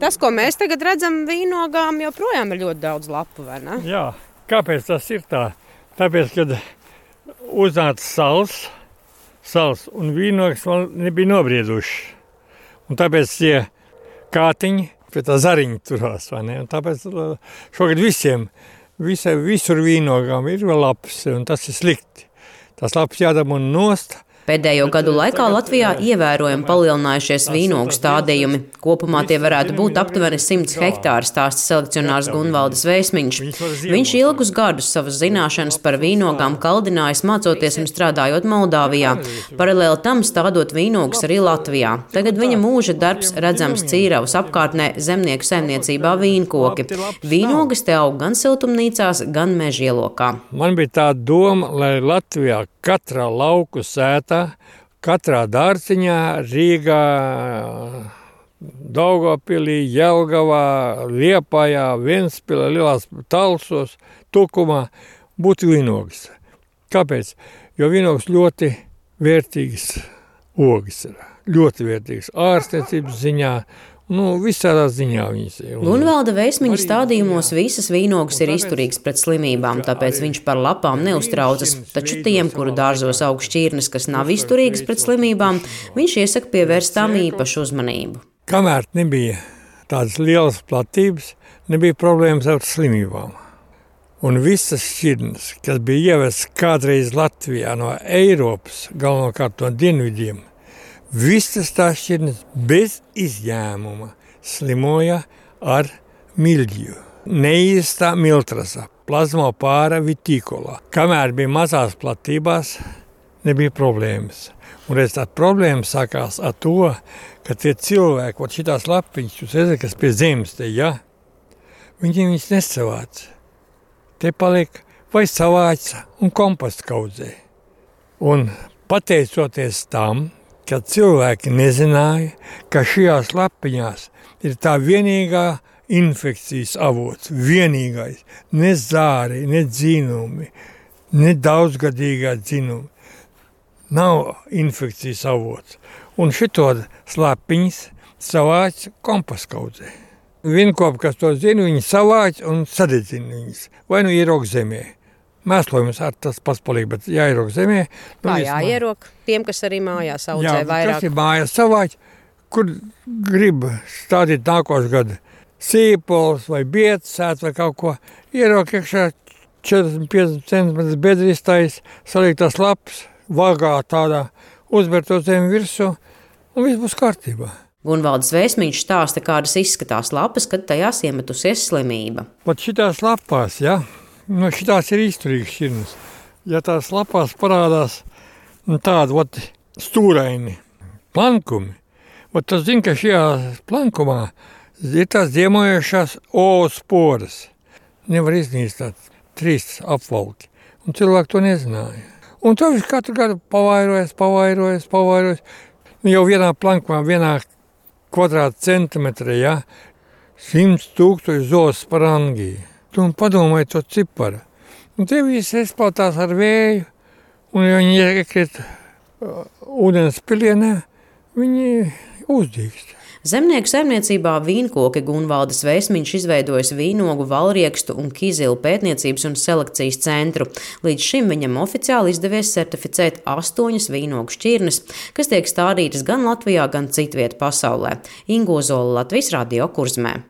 Tas, ko mēs tagad redzam vīnogām, joprojām ir ļoti daudz lapu, vai ne? Jā, kāpēc tas ir tā? Tāpēc, kad uznāca sals un vīnogas vēl nebija nobrieduši. Un tāpēc tie kātiņi pie tā zariņa turās, vai ne? Un tāpēc šogad visur vīnogām ir vēl lapas, un tas ir slikti. Tas lapas jādabūna nost. Pēdējo gadu laikā Latvijā ievērojami palielinājušies vīnogu stādījumi. Kopumā tie varētu būt aptuveni 100 hektāri, stāsta selekcionārs Gunvaldas Vēsmiņš. Viņš ilgus gadus savas zināšanas par vīnogām kaldinājis, mācoties un strādājot Moldāvijā. Paralēli tam stādot vīnogus arī Latvijā. Tagad viņa mūža darbs redzams Cīravas apkārtnē zemnieku saimniecībā vīnkoki. Vīnogas te aug gan siltumnīcās, gan mežielokā. Man bija tā doma, lai Latvijā katrā lauku sētā, katrā dārciņā, Rīgā, Daugavpilī, Jelgavā, Liepājā, Ventspilī, Lielās Talsos, Tukumā būtu vīnogas. Kāpēc? Jo vīnogas ļoti vērtīgas ogas ir. Ļoti vērtīgas ārstniecības ziņā. Visādā ziņā viņas ir. Gunvalda Vēsmiņa stādījumos visas vīnogas ir izturīgas pret slimībām, tāpēc viņš par lapām neuztraucas. Taču tiem, kuru dārzos aug šķirnes, kas nav izturīgas pret slimībām, viņš iesaka pievērst tām īpašu uzmanību. Kamēr nebija tādas lielas platības, nebija problēmas ar slimībām. Un visas šķirnes, kas bija ievestas kādreiz Latvijā no Eiropas, galvenokārt no dienvidiem, visas tās šķirnes bez izņēmuma slimoja ar miļģiju. Neīstā miltrasa, plazmopāra vitikolā. Kamēr bija mazās platībās, nebija problēmas. Un reiz tā problēma sākās ar to, ka tie cilvēki, šitās lapiņas, jūs redzat, kas pie zemes te, ja? Viņas nesavāca. Te paliek vai savāca un komposts kaudzē. Un pateicoties tam, ka cilvēki nezināja, ka šajās lapiņās ir tā vienīgā infekcijas avots, vienīgais, ne zāri, ne dzinumi, ne daudzgadīgā dzinumi. Nav infekcijas avots. Un šito lapiņas savāc kompostkaudzē. Vienkopi, kas to zina, viņi savāc un sadedzina viņas. Vai ierok zemē. Mēslojums ar tas pats paliek, bet jāierok zemē. Kā jāierok? Tiem, kas arī mājās audzē vairāk. Kas ir mājās savāc, kur grib stādīt nākošu gadu sīpols vai bietas vai kaut ko. Ierok iekšā 40-50 centimetrus bedrīstais, saliek tās lapas, vagā tādā, uzber to zemi virsū un viss būs kārtībā. Gunvaldas Vēsmiņš stāsta, kādas izskatās lapas, kad tajās iemetusies slimība. Pat šitās lapās, šitās ir izturīgas šķirnes. Ja tās lapās parādās tādi stūraini plankumi, tas zina, ka šajā plankumā ir tās ziemojošās osporas. Nevar iznīstāt 3 apvalki. Un cilvēki to nezināja. Un to viņš katru gadu pavairojas. Jau vienā plankumā, vienā kvadrātcentimetrā, 100 000 zoosporangiju. Un padomājiet to ciparu. Un tie visi izplatās ar vēju, un ja viņi iekrīt ūdens pilienē, viņi uzdīkst. Zemnieku saimniecībā vīnkoki Gunvaldas Vēsmiņš izveidojis vīnogu, valriekstu un kizilu pētniecības un selekcijas centru. Līdz šim viņam oficiāli izdevies certificēt 8 vīnogu šķirnes, kas tiek stādītas gan Latvijā, gan citviet pasaulē. Inga Ozola, Latvijas Radio Kurzmē.